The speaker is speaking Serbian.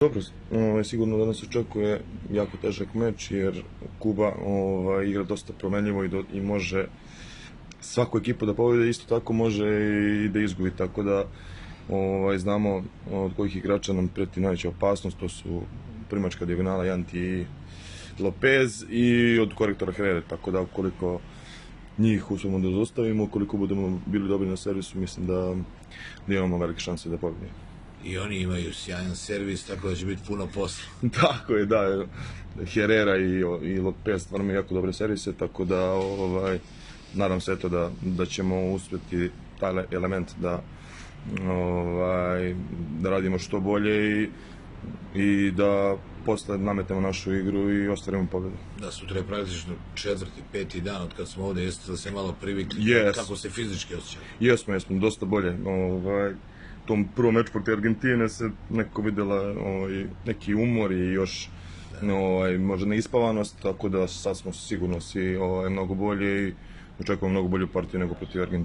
Dobro, sigurno da nas očekuje jako težak meč jer Kuba igra dosta promenljivo i može svaku ekipu da pobedi, isto tako može i da izgubi, tako da znamo od kojih igrača nam preti najveća opasnost, to su primačka dijagonala Janti i Lopez i od korektora Herrera, tako da ukoliko njih uspemo da zaustavimo, ukoliko budemo bili dobri na servisu, mislim da imamo velike šanse da pobedimo. I oni imaju sjajan servis, tako da će biti puno posla. Tako je, da. Herrera i Lopez stvarno imaju jako dobre servise, tako da nadam se da ćemo uspjeti taj element da radimo što bolje i da posle nametemo našu igru i ostvarimo pobedu. Da, sutra je praktično 4., 5. dan od kad smo ovde, jeste da se malo privikli, kako se fizički osjećali? Jesmo, dosta bolje. U tom prvom meču protiv Argentine se neko videla neki umor i još možda neispavanost, tako da sad smo sigurno svi mnogo bolji i očekujemo mnogo bolju partiju nego protiv Argentine.